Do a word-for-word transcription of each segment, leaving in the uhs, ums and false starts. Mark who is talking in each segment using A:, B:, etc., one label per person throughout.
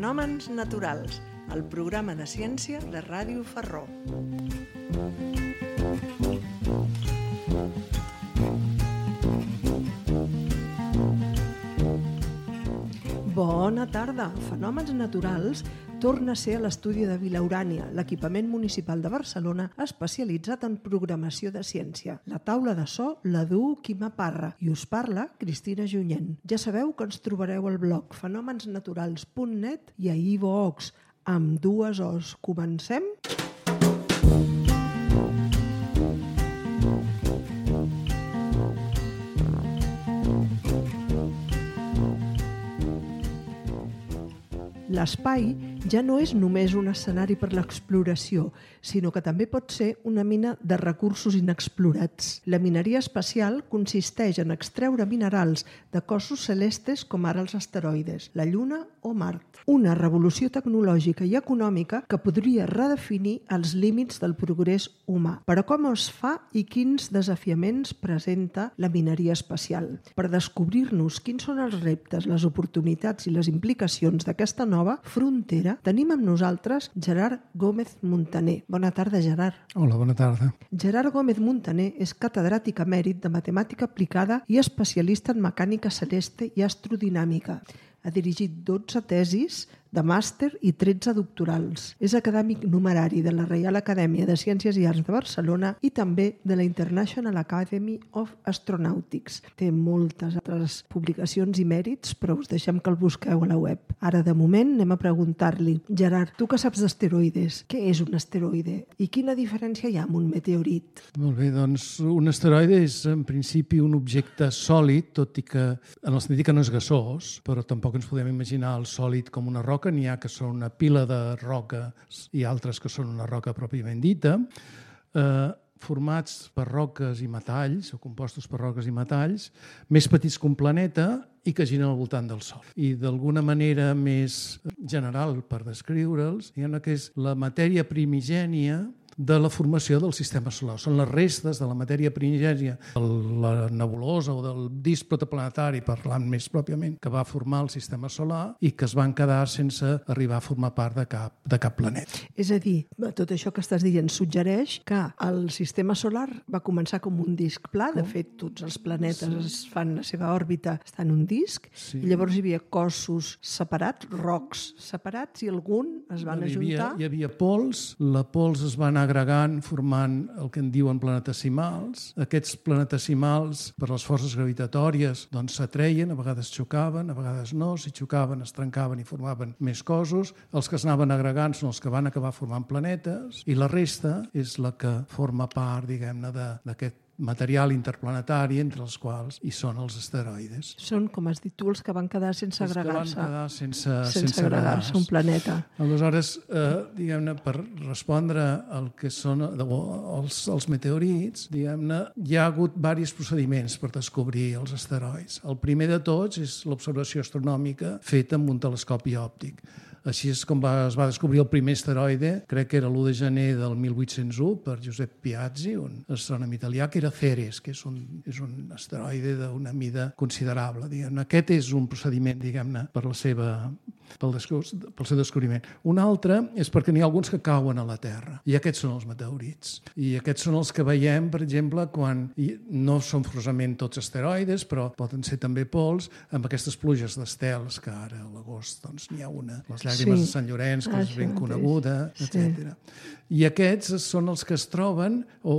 A: Fenòmens naturals, el programa de ciència de Ràdio Ferró. Bona tarda! Fenòmens naturals torna a ser a l'estudi de Vilaurània, l'equipament municipal de Barcelona especialitzat en programació de ciència. La taula de so la duu Quima Parra i us parla Cristina Junyent. Ja sabeu que ens trobareu al blog fenòmensnaturals punt net i a iVoox amb dues O's. Comencem? L'espai ja no és només un escenari per l'exploració, sinó que també pot ser una mina de recursos inexplorats. La mineria espacial consisteix en extreure minerals de cossos celestes com ara els asteroides, la Lluna o Mart. Una revolució tecnològica i econòmica que podria redefinir els límits del progrés humà. Però com es fa i quins desafiaments presenta la mineria espacial? Per descobrir-nos quins són els reptes, les oportunitats i les implicacions d'aquesta nova frontera, tenim amb nosaltres Gerard Gómez Montaner. Bona tarda, Gerard.
B: Hola, bona tarda.
A: Gerard Gómez Montaner és catedràtic emèrit de matemàtica aplicada i especialista en mecànica celeste i astrodinàmica. Ha dirigit dotze tesis de màster i tretze doctorals. És acadèmic numerari de la Reial Acadèmia de Ciències i Arts de Barcelona i també de la International Academy of Astronautics. Té moltes altres publicacions i mèrits, però us deixem que el busqueu a la web. Ara, de moment, anem a preguntar-li. Gerard, tu que saps d'asteroides, què és un asteroide i quina diferència hi ha amb un meteorit?
B: Molt bé, doncs un asteroide és en principi un objecte sòlid, tot i que en el sentit que no és gasós, però tampoc ens podem imaginar el sòlid com una roca. N'hi ha que són una pila de roques i altres que són una roca pròpiament dita, eh, formats per roques i metalls, o compostos per roques i metalls, més petits que un planeta i que giren al voltant del Sol. I d'alguna manera més general per descriure'ls, diguem que és la matèria primigènia de la formació del sistema solar. Són les restes de la matèria primigènia de la nebulosa o del disc protoplanetari, parlant més pròpiament, que va formar el sistema solar i que es van quedar sense arribar a formar part de cap, de cap planeta.
A: És a dir, tot això que estàs dient suggereix que el sistema solar va començar com un disc pla, de fet tots els planetes sí. es fan la seva òrbita estan en un disc, sí. i llavors hi havia cossos separats, rocs separats, i algun es van
B: hi havia,
A: ajuntar.
B: Hi havia pols, la pols es va anar agregant, formant el que en diuen planetesimals. Aquests planetesimals, per les forces gravitatòries, doncs s'atreien, a vegades xocaven, a vegades no, si xocaven es trencaven i formaven més cossos. Els que s'anaven agregant són els que van acabar formant planetes i la resta és la que forma part, diguem-ne, d'aquest material interplanetari, entre els quals hi són els asteroides.
A: Són, com has dit tu, els que van quedar sense agregar-se.
B: Els que van quedar sense,
A: sense,
B: sense
A: agregar-se un planeta.
B: Aleshores, eh, diguem-ne, per respondre al que són els, els meteorits, diguem-ne, hi ha hagut diversos procediments per descobrir els asteroids. El primer de tots és l'observació astronòmica feta amb un telescopi òptic. Així és com va, es va descobrir el primer asteroide, crec que era l'u de gener del mil vuit-cents u, per Josep Piazzi, un astrònom italià, que era Ceres, que és un, és un asteroide d'una mida considerable. Diguem-ne. Aquest és un procediment, diguem-ne, per la seva, pel, pel seu descobriment. Un altre és perquè n'hi ha alguns que cauen a la Terra, i aquests són els meteorits. I aquests són els que veiem, per exemple, quan no són forçosament tots asteroides, però poden ser també pols, amb aquestes pluges d'estels, que ara a l'agost doncs, n'hi ha una, les llàgrimes sí. de Sant Llorenç, que ah, és ben coneguda, sí. etcètera. I aquests són els que es troben o,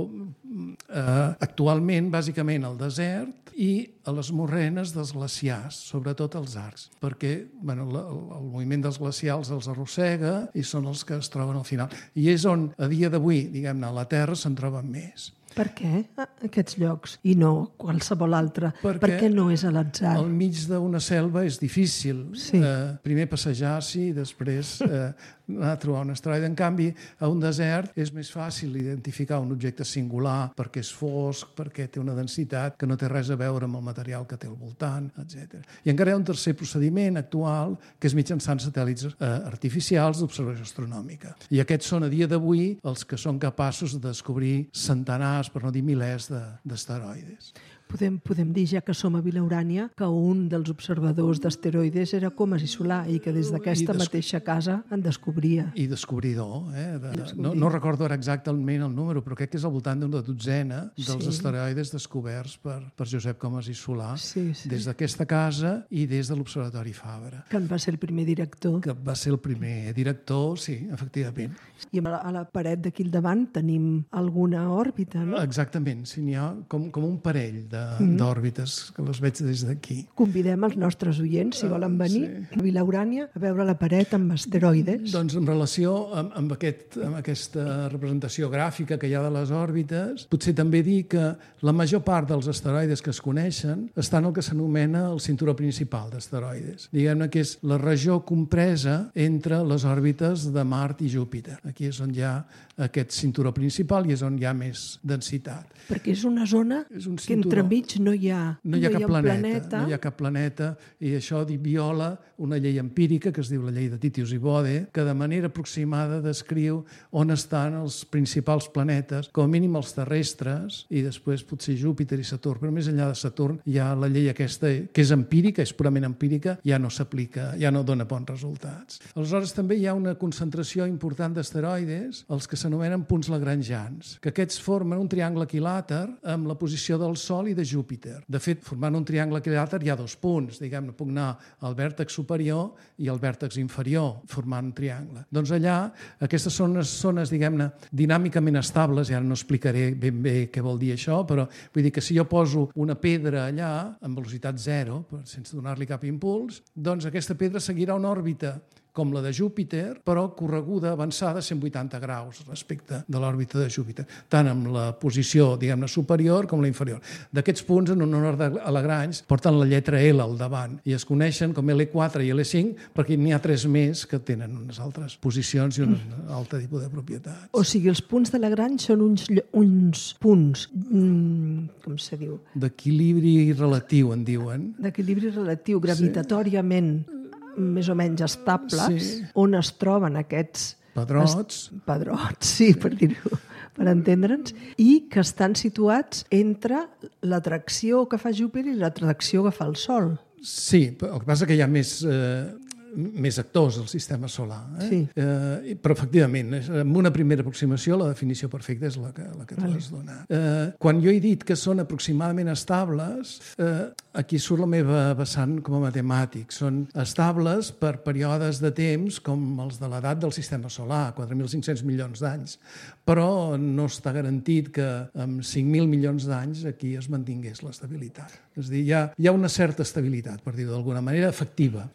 B: eh, actualment, bàsicament, al desert i a les morrenes dels glaciars, sobretot als arcs, perquè bueno, la, el moviment dels glacials els arrossega i són els que es troben al final. I és on, a dia d'avui, diguem-ne, a la Terra se'n troben més.
A: Per què aquests llocs i no qualsevol altre?
B: Perquè
A: per què no és a l'atzar?
B: Al mig d'una selva és difícil sí. eh, primer passejar-s'hi i després eh, anar a trobar un asteroide. En canvi, a un desert és més fàcil identificar un objecte singular perquè és fosc, perquè té una densitat que no té res a veure amb el material que té al voltant, etcètera. I encara hi ha un tercer procediment actual que és mitjançant satèl·lits eh, artificials d'observació astronòmica. I aquests són a dia d'avui els que són capaços de descobrir centenars, per no dir milers, d'asteroides.
A: Podem, podem dir, ja que som a Vila Urània, que un dels observadors d'asteroides era Comas i Solà i que des d'aquesta
B: des...
A: mateixa casa en descobria.
B: I descobridor. Eh? De... No, no recordo ara exactament el número, però crec que és al voltant d'una dotzena dels sí. asteroides descoberts per, per Josep Comas i Solà,
A: sí, sí.
B: des d'aquesta casa i des de l'Observatori Fabra.
A: Que en va ser el primer director.
B: Que va ser el primer director, sí, efectivament.
A: I a la, a la paret d'aquí al davant tenim alguna òrbita, no?
B: Exactament, sí, n'hi ha com, com un parell de, mm. d'òrbites, que les veig des d'aquí.
A: Convidem els nostres oients, si volen venir, uh, sí. a Vila Urània, a veure la paret amb asteroides.
B: Doncs en relació amb, amb, aquest, amb aquesta representació gràfica que hi ha de les òrbites, potser també dir que la major part dels asteroides que es coneixen estan al que s'anomena el cinturó principal d'asteroides. Diguem-ne que és la regió compresa entre les òrbites de Mart i Júpiter. Aquí és on hi ha aquest cinturó principal i és on hi ha més densitat.
A: Perquè és una zona és un que entremig no hi ha,
B: no hi ha, no cap, hi ha planeta,
A: planeta.
B: No hi ha cap planeta i això viola una llei empírica que es diu la llei de Titius i Bode, que de manera aproximada descriu on estan els principals planetes, com a mínim els terrestres i després potser Júpiter i Saturn, però més enllà de Saturn hi ha la llei aquesta que és empírica, és purament empírica, ja no s'aplica, ja no dona bons resultats. Aleshores també hi ha una concentració important d'asteroides, els que s'anomenen punts lagrangians, que aquests formen un triangle equilàter amb la posició del Sol i de Júpiter. De fet, formant un triangle equilàter hi ha dos punts, diguem-ne, puc anar al vèrtex superior i al vèrtex inferior, formant un triangle. Doncs allà, aquestes són unes zones, diguem-ne, dinàmicament estables, i ara no explicaré ben bé què vol dir això, però vull dir que si jo poso una pedra allà, amb velocitat zero, sense donar-li cap impuls, doncs aquesta pedra seguirà una òrbita com la de Júpiter, però correguda, avançada, cent vuitanta graus respecte de l'òrbita de Júpiter, tant amb la posició, diguem-ne, superior com la inferior. D'aquests punts, en honor a Lagrange, porten la lletra L al davant i es coneixen com L quatre i L cinc perquè n'hi ha tres més que tenen unes altres posicions i un altre tipus de propietats.
A: O sigui, els punts de Lagrange són uns, uns punts, mm, com se diu?
B: D'equilibri relatiu, en diuen.
A: D'equilibri relatiu, gravitatòriament. Sí. Més o menys estables, sí. On es troben aquests
B: pedrots,
A: est... pedrots, sí, per dir-ho, per entendre'ns, i que estan situats entre l'atracció que fa Júpiter i l'atracció que fa el Sol.
B: Sí, el que passa que hi ha més... Eh... més actors al sistema solar. Eh? Sí. Eh, però, efectivament, amb una primera aproximació, la definició perfecta és la que, la que tu has donat. Eh, quan jo he dit que són aproximadament estables, eh, aquí surt la meva vessant com a matemàtic. Són estables per períodes de temps com els de l'edat del sistema solar, quatre mil cinc-cents milions d'anys. Però no està garantit que amb cinc mil milions d'anys aquí es mantingués l'estabilitat. És a dir, hi ha, hi ha una certa estabilitat, per dir-ho d'alguna manera, efectiva.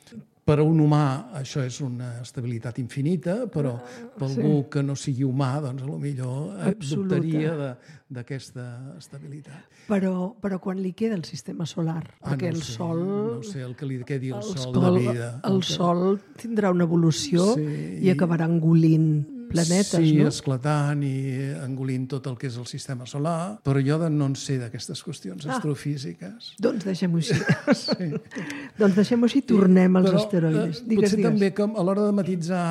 B: Per a un humà això és una estabilitat infinita, però per algú sí. que no sigui humà, doncs potser dubtaria de, d'aquesta estabilitat.
A: Però, però quan li queda el sistema solar?
B: Ah,
A: perquè
B: no
A: el
B: sé,
A: Sol...
B: No sé, el que li quedi el, el Sol
A: de
B: vida.
A: El, el que... Sol tindrà una evolució sí, i acabarà engolint planetes,
B: sí,
A: no?
B: Sí, esclatant i engolint tot el que és el sistema solar, però jo no en sé d'aquestes qüestions ah, astrofísiques.
A: Doncs deixem-ho així. Sí. Doncs deixem-ho així i tornem als però, asteroides.
B: Eh, digues, potser digues. També que a l'hora de matitzar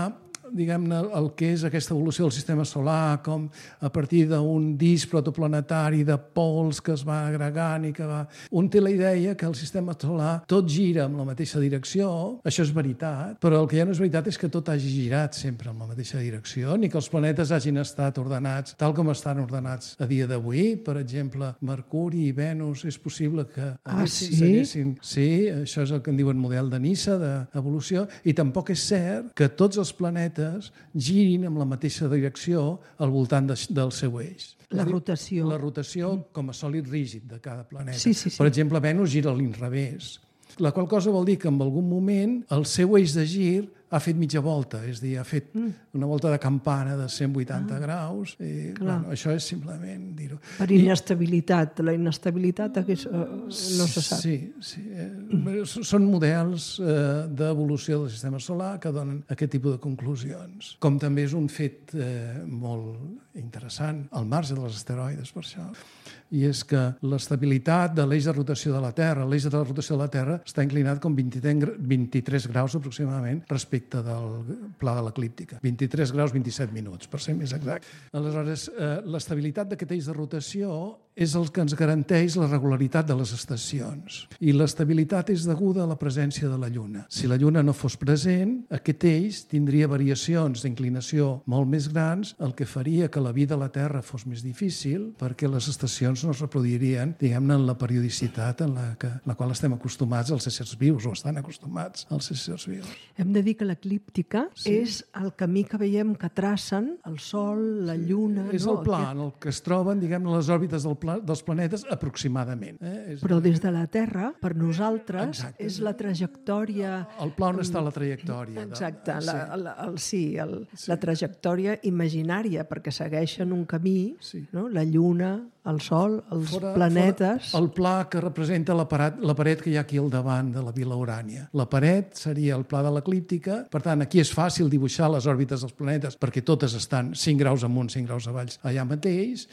B: diguem-ne, el que és aquesta evolució del sistema solar, com a partir d'un disc protoplanetari de pols que es va agregant i que va... Un té la idea que el sistema solar tot gira en la mateixa direcció, això és veritat, però el que ja no és veritat és que tot hagi girat sempre en la mateixa direcció, ni que els planetes hagin estat ordenats tal com estan ordenats a dia d'avui. Per exemple, Mercuri i Venus és possible que
A: ah, sí?
B: seguessin... Sí, això és el que en diuen model de Nissa, d'evolució, i tampoc és cert que tots els planetes girin amb la mateixa direcció al voltant de, del seu eix.
A: La rotació.
B: La rotació com a sòlid rígid de cada planeta.
A: Sí, sí, sí.
B: Per exemple, Venus gira a l'inrevés, la qual cosa vol dir que en algun moment el seu eix de gir ha fet mitja volta, és a dir, ha fet mm. una volta de campana de cent vuitanta ah, graus. I, bueno, això és simplement dir-ho.
A: Per inestabilitat. La inestabilitat aquí, uh, no se sap.
B: Sí, sí. Mm. Són models eh, d'evolució del sistema solar que donen aquest tipus de conclusions. Com també és un fet eh, molt interessant, al marge dels asteroides, per això, i és que l'estabilitat de l'eix de rotació de la Terra, l'eix de la rotació de la Terra està inclinat com vint-i-tres graus aproximadament respecte respecte del pla de l'eclíptica. vint-i-tres graus vint-i-set minuts, per ser més exacte. Aleshores, eh, l'estabilitat d'aquest eix de rotació és el que ens garanteix la regularitat de les estacions. I l'estabilitat és deguda a la presència de la Lluna. Si la Lluna no fos present, aquest eix tindria variacions d'inclinació molt més grans, el que faria que la vida a la Terra fos més difícil perquè les estacions no es reproduirien, diguem-ne, en la periodicitat en la, que, la qual estem acostumats als éssers vius, o estan acostumats als éssers vius.
A: Hem de dir que l'eclíptica sí. és el camí que veiem que tracen el Sol, la Lluna...
B: És
A: no?
B: el pla en el que es troben, diguem-ne, les òrbites del pla, dels planetes aproximadament. Eh? És...
A: Però des de la Terra, per nosaltres,
B: Exacte.
A: és la trajectòria...
B: El pla on està la trajectòria.
A: Exacte,
B: de...
A: la, la, el, sí, el, sí, la trajectòria imaginària, perquè segueixen un camí, sí. no? La Lluna, el Sol, els fora, planetes...
B: Fora el pla que representa la paret, la paret que hi ha aquí al davant de la Vila Urània. La paret seria el pla de l'eclíptica, per tant, aquí és fàcil dibuixar les òrbites dels planetes perquè totes estan cinc graus amunt, cinc graus avall, allà mateix.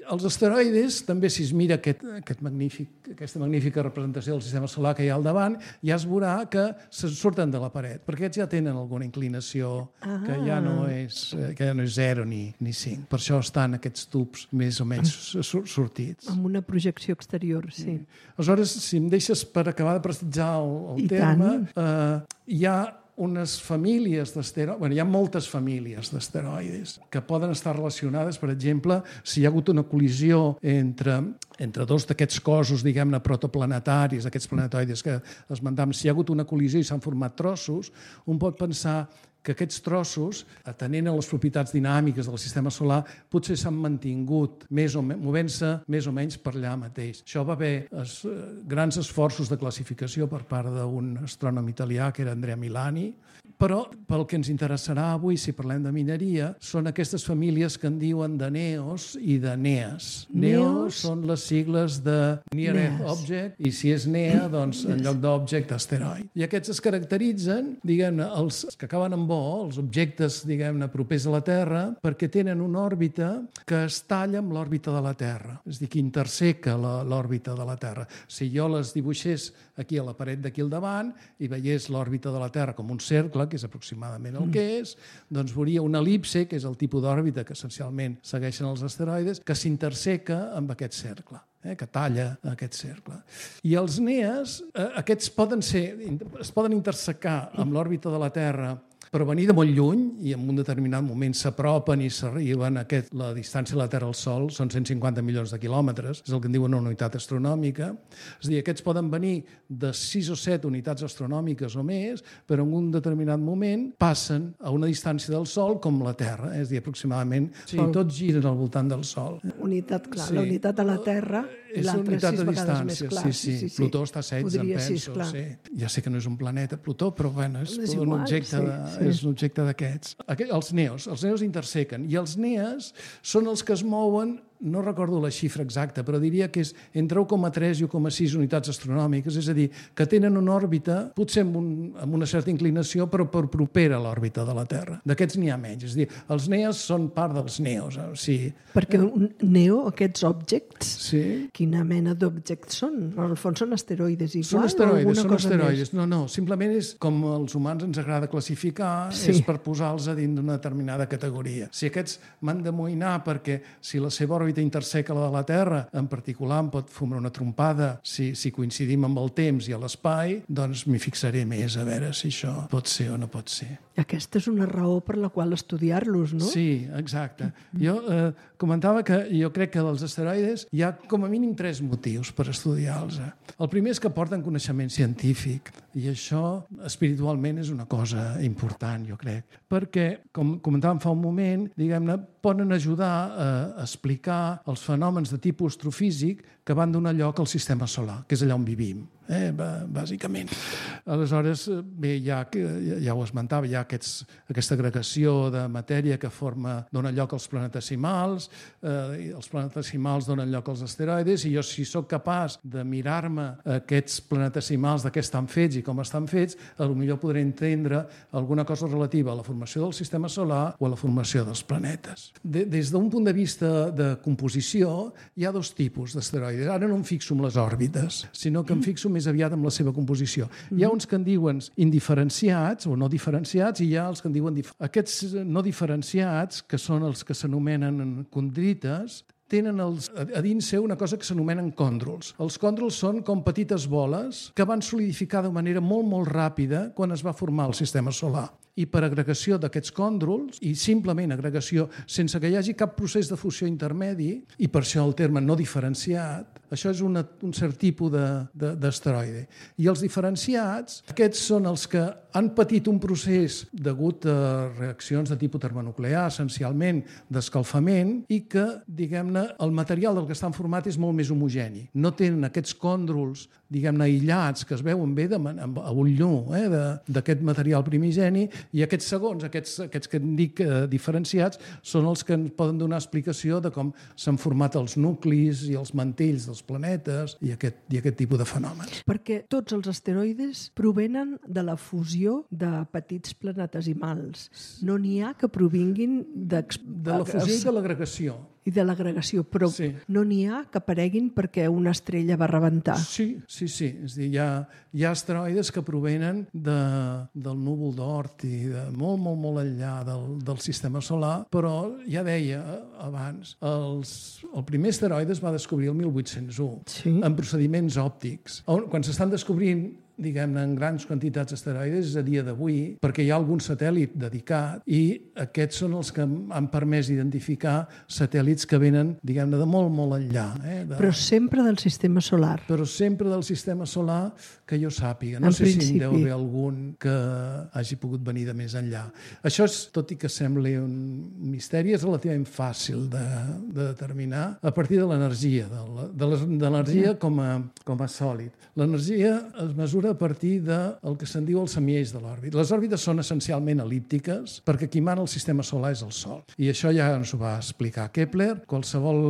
B: Els asteroides, també si es mira aquest, aquest magnífic, aquesta magnífica representació del sistema solar que hi ha al davant, ja es veurà que se surten de la paret, perquè aquests ja tenen alguna inclinació ah. que ja no és, que ja no és zero ni, ni cinc. Per això estan aquests tubs més o menys sortits.
A: Amb una projecció exterior, sí.
B: Mm. Aleshores, si em deixes per acabar de prestigiar el, el terme, eh, hi ha unes famílies d'asteroides, bueno, hi ha moltes famílies d'asteroides que poden estar relacionades, per exemple, si hi ha hagut una col·lisió entre, entre dos d'aquests cossos, diguem-ne, protoplanetaris, aquests planetoides que esmentem, si hi ha hagut una col·lisió i s'han format trossos, un pot pensar que aquests trossos, atenent a les propietats dinàmiques del sistema solar, potser s'han mantingut més o menys, movent-se més o menys per allà mateix. Això va haver es, grans esforços de classificació per part d'un astrònom italià, que era Andrea Milani, però pel que ens interessarà avui, si parlem de mineria, són aquestes famílies que en diuen de Neos i de Neas. Neos són les sigles de Near Earth Object, i si és Nea, doncs en lloc d'Object, asteroid. I aquests es caracteritzen, diguem-ne, els que acaben amb els objectes, diguem-ne, propers a la Terra, perquè tenen una òrbita que es talla amb l'òrbita de la Terra, és a dir, que interseca l'òrbita de la Terra. Si jo les dibuixés aquí a la paret d'aquí al davant i veiés l'òrbita de la Terra com un cercle, que és aproximadament el que és, doncs veuria una elipse, que és el tipus d'òrbita que essencialment segueixen els asteroides, que s'interseca amb aquest cercle. Eh, que talla aquest cercle. I els Neas, eh, aquests poden ser, es poden intersecar amb l'òrbita de la Terra però venir de molt lluny i en un determinat moment s'apropen i s'arriben a aquest, la distància de la Terra al Sol són cent cinquanta milions de quilòmetres, és el que en diuen una unitat astronòmica. És a dir, aquests poden venir de sis o set unitats astronòmiques o més, però en un determinat moment passen a una distància del Sol com la Terra, és a dir, aproximadament, sí, tots giren al voltant del Sol.
A: Unitat, clar, sí. La unitat de la Terra i l'altra sis vegades més clar.
B: Sí, sí, sí, sí. Plutó està a setze, em penso. Sí, sí. Ja sé que no és un planeta, Plutó, però bueno, és, és igual, un objecte sí, de... Sí. És un objecte d'aquests. Els neos, els neos intersequen, i els neas són els que es mouen, no recordo la xifra exacta, però diria que és entre u coma tres i u coma sis unitats astronòmiques, és a dir, que tenen una òrbita, potser amb, un, amb una certa inclinació, però per propera a l'òrbita de la Terra. D'aquests n'hi ha menys. És a dir, els neas són part dels neos. O sigui,
A: perquè un neo, aquests objects,
B: sí.
A: Quina mena d'objectes són? En el fons són asteroides igual?
B: Són asteroides, són
A: cosa
B: asteroides.
A: Més?
B: No, no, simplement és com els humans ens agrada classificar, sí. És per posar-los a dins d'una determinada categoria. Si aquests m'han d'amoïnar perquè si la seva òrbita interseca la de la Terra, en particular em pot fumar una trompada si, si coincidim amb el temps i a l'espai, doncs m'hi fixaré més a veure si això pot ser o no pot ser.
A: Aquesta és una raó per la qual estudiar-los, no?
B: Sí, exacte. Jo eh, comentava que jo crec que dels asteroides hi ha com a mínim tres motius per estudiar-los. El primer és que porten coneixement científic i això espiritualment és una cosa important, jo crec, perquè, com comentàvem fa un moment, diguem-ne, poden ajudar a explicar els fenòmens de tipus astrofísic que van donar lloc al sistema solar, que és allà on vivim, eh, bàsicament. Aleshores, bé, ja, ja ho esmentava, hi ha aquests, aquesta agregació de matèria que forma, dona lloc als planetesimals, eh, els planetesimals donen lloc als asteroides, i jo, si sóc capaç de mirar-me aquests planetesimals de què estan fets i com estan fets, potser podré entendre alguna cosa relativa a la formació del sistema solar o a la formació dels planetes. De, des d'un punt de vista de composició, hi ha dos tipus d'asteroides. Ara no em fixo en les òrbites, sinó que em fixo més aviat en la seva composició. Hi ha uns que en diuen indiferenciats o no diferenciats i hi ha els que en diuen... Dif... Aquests no diferenciats, que són els que s'anomenen condrites, tenen els, a dins seu una cosa que s'anomenen còndrols. Els còndrols són com petites boles que van solidificar de manera molt, molt ràpida quan es va formar el sistema solar. I per agregació d'aquests còndrols, i simplement agregació sense que hi hagi cap procés de fusió intermedi, i per això el terme no diferenciat, això és una, un cert tipus d'asteroide. I els diferenciats, aquests són els que han patit un procés degut a reaccions de tipus termonuclear, essencialment d'escalfament, i que, diguem-ne, el material del que estan format és molt més homogeni. No tenen aquests còndrols, diguem-ne, aïllats, que es veuen bé de, a ull nu, eh, d'aquest material primigeni, i aquests segons, aquests, aquests que en dic eh, diferenciats, són els que ens poden donar explicació de com s'han format els nuclis i els mantells dels planetes i aquest, i aquest tipus de fenòmens.
A: Perquè tots els asteroides provenen de la fusió de petits planetesimals. No n'hi ha que provinguin de...
B: de la fusió i de l'agregació.
A: I de l'agregació, però
B: sí.
A: No n'hi ha que apareguin perquè una estrella va rebentar.
B: Sí, sí, sí. És a dir, hi ha, hi ha asteroides que provenen de, del núvol d'Oort i de molt, molt, molt enllà del, del sistema solar, però ja deia abans, els, el primer asteroide es va descobrir el mil vuit-cents u, sí. En procediments òptics. Quan s'estan descobrint diguem-ne, en grans quantitats d'asteroides és a dia d'avui, perquè hi ha algun satèl·lit dedicat i aquests són els que han permès identificar satèl·lits que venen, diguem-ne, de molt, molt enllà. Eh? De...
A: Però sempre del sistema solar.
B: Però sempre del sistema solar que jo sàpiga. No
A: en
B: sé
A: principi.
B: Si en deu haver algun que hagi pogut venir de més enllà. Això, és, tot i que sembli un misteri, és relativament fàcil de, de determinar a partir de l'energia, de l'energia com a, com a sòlid. L'energia es mesura a partir del que se'n diu el semieix de l'òrbita. Les òrbites són essencialment el·líptiques perquè qui mana el sistema solar és el Sol. I això ja ens ho va explicar Kepler. Qualsevol,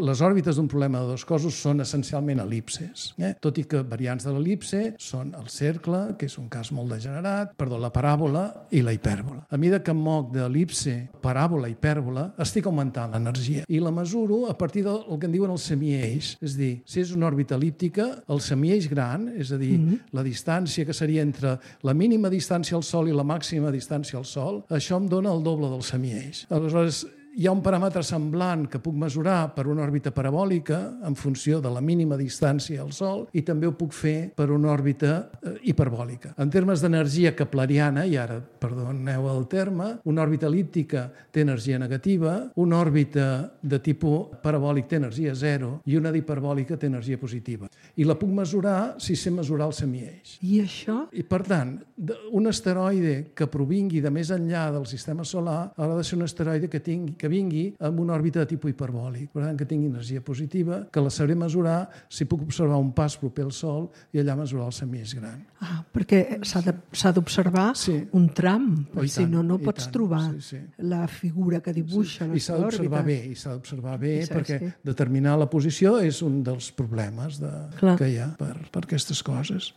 B: les òrbites d'un problema de dos cossos són essencialment el·lipses. Eh? Tot i que variants de l'el·lipse són el cercle, que és un cas molt degenerat, perdó, la paràbola i la hipèrbola. A mesura que em moc d'el·lipse, paràbola, hipèrbola, estic augmentant l'energia. I la mesuro a partir del que en diuen el semieix. És a dir, si és una òrbita el·líptica, el semieix gran, és a dir, mm-hmm. la distància que seria entre la mínima distància al Sol i la màxima distància al Sol, això em dona el doble del semieix. Aleshores, hi ha un paràmetre semblant que puc mesurar per una òrbita parabòlica en funció de la mínima distància al Sol i també ho puc fer per una òrbita eh, hiperbòlica. En termes d'energia kepleriana, i ara, perdoneu el terme, una òrbita el·líptica té energia negativa, una òrbita de tipus parabòlic té energia zero i una d'hiperbòlica té energia positiva. I la puc mesurar si sé mesurar el semieix.
A: I això?
B: I per tant, un asteroide que provingui de més enllà del sistema solar haurà de ser un asteroide que tingui que vingui amb una òrbita de tipus hiperbòlic, per tant que tingui energia positiva, que la sabré mesurar si puc observar un pas proper al Sol i allà mesurar el semieix gran.
A: Ah, perquè s'ha d'observar sí. un tram, oh, si tant, no, no pots tant, trobar sí, sí. la figura que dibuixa sí.
B: I s'ha d'observar bé, i s'ha d'observar bé I perquè sí. determinar la posició és un dels problemes de, que hi ha per, per aquestes coses.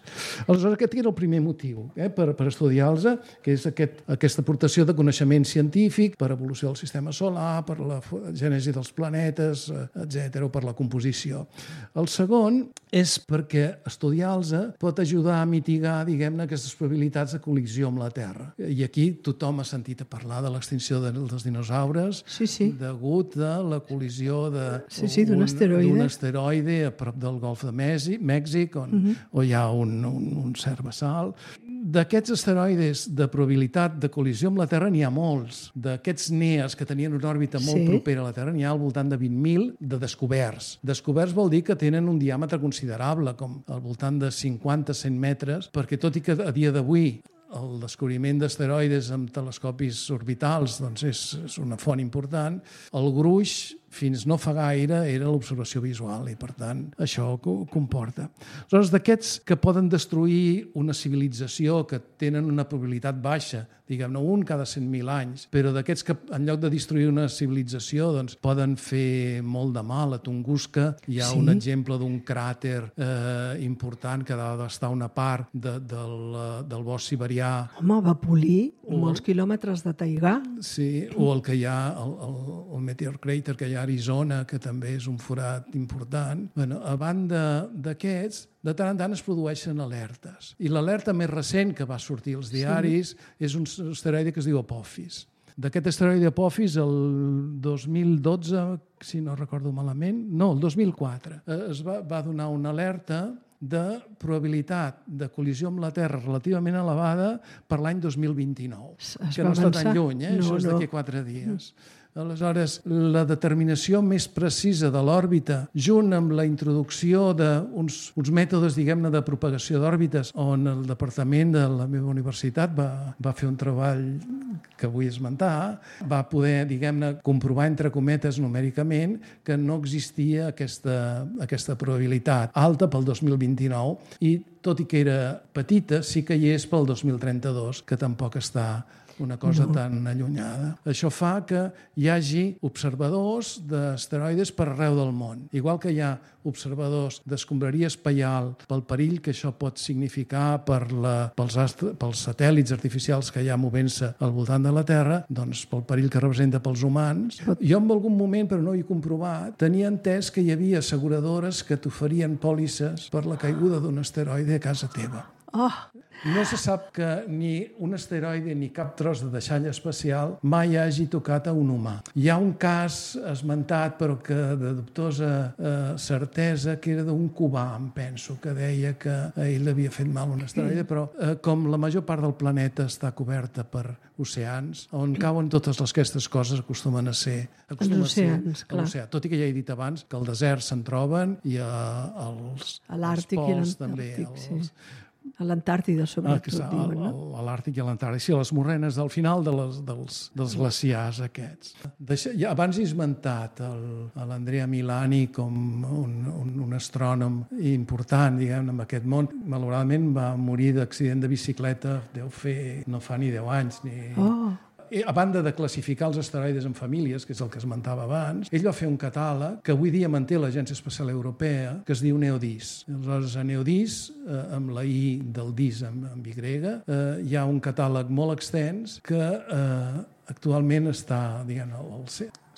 B: Aleshores, aquest era el primer motiu eh, per, per estudiar-los, que és aquest, aquesta aportació de coneixement científic per evolució del sistema solar, per la gènesi dels planetes, etcètera, o per la composició. El segon és perquè estudiar-los pot ajudar a mitigar, diguem-ne, aquestes probabilitats de col·lisió amb la Terra. I aquí tothom ha sentit a parlar de l'extinció de, dels dinosaures
A: sí, sí.
B: degut a la col·lisió de,
A: sí, sí, d'un asteroide.
B: d'un asteroide a prop del Golf de Mèxic, on, uh-huh. on hi ha un, un, un cert vessal. D'aquests asteroides de probabilitat de col·lisió amb la Terra n'hi ha molts. D'aquests NEAs que tenien una òrbita molt sí. propera a la Terra n'hi ha al voltant de vint mil de descoberts. Descoberts vol dir que tenen un diàmetre considerable, com al voltant de cinquanta a cent metres, perquè tot i que a dia d'avui el descobriment d'asteroides amb telescopis orbitals doncs és, és una font important, el gruix fins no fa gaire era l'observació visual i, per tant, això ho comporta. Aleshores, d'aquests que poden destruir una civilització que tenen una probabilitat baixa, diguem-ne, un cada cent mil anys, però d'aquests que, en lloc de destruir una civilització, doncs, poden fer molt de mal. A Tunguska hi ha sí. un exemple d'un cràter eh, important que ha d'estar una part de, del, del bosc siberià.
A: Home, va polir Molts quilòmetres de taigà.
B: Sí, o el que hi ha, el, el, el Meteor Crater que hi ha a Arizona, que també és un forat important. Bueno, a banda d'aquests, de tant en tant es produeixen alertes. I l'alerta més recent que va sortir als diaris sí. és un asteroide que es diu Apophis. D'aquest asteroide Apophis, el dos mil dotze, si no recordo malament, no, el dos mil quatre, es va, va donar una alerta de probabilitat de col·lisió amb la Terra relativament elevada per l'any dos mil vint-i-nou, que no està tan lluny, eh? No, això és d'aquí no. quatre dies. Aleshores, la determinació més precisa de l'òrbita, junt amb la introducció d'uns uns mètodes, diguem-ne, de propagació d'òrbites, on el departament de la meva universitat va, va fer un treball que vull esmentar, va poder, diguem-ne, comprovar, entre cometes, numèricament, que no existia aquesta, aquesta probabilitat alta pel dos mil vint-i-nou i, tot i que era petita, sí que hi és pel dos mil trenta-dos, que tampoc està una cosa no. tan allunyada. Això fa que hi hagi observadors d'asteroides per arreu del món. Igual que hi ha observadors d'escombraria espaial pel perill que això pot significar per la, pels, astre, pels satèl·lits artificials que hi ha movent-se al voltant de la Terra, doncs pel perill que representa pels humans. Jo en algun moment, però no ho he comprovat, tenia entès que hi havia asseguradores que t'oferien pòlisses per la caiguda d'un asteroide a casa teva.
A: Oh.
B: No se sap que ni un asteroide ni cap tros de deixall espacial mai hagi tocat a un humà. Hi ha un cas esmentat, però que de dubtosa eh, certesa, que era d'un cubà, em penso, que deia que a ell havia fet mal un asteroide, però eh, com la major part del planeta està coberta per oceans, on cauen totes les, aquestes coses acostumen a ser...
A: Acostumen els oceans,
B: a ser, clar. Tot i que ja he dit abans que al desert se'n troben i a, als,
A: a l'Àrtic i
B: pols també.
A: Els,
B: els,
A: a l'Antàrtida, sobretot,
B: ah,
A: diuen, no?
B: A l'Àrtic i a l'Antàrtic, sí, a les morrenes del final de les, dels, dels glaciars aquests. Deixa, ja, abans he esmentat l'Andrea Milani com un, un, un astrònom important, diguem, en aquest món. Malauradament va morir d'accident de bicicleta, deu fer, no fa ni deu anys, ni...
A: Oh.
B: A banda de classificar els asteroides en famílies, que és el que esmentava abans, ell va fer un catàleg que avui dia manté l'Agència Espacial Europea, que es diu NEODIS. Aleshores, a NEODIS, eh, amb la I del DIS amb, amb Y, eh, hi ha un catàleg molt extens que eh, actualment està, diguem, al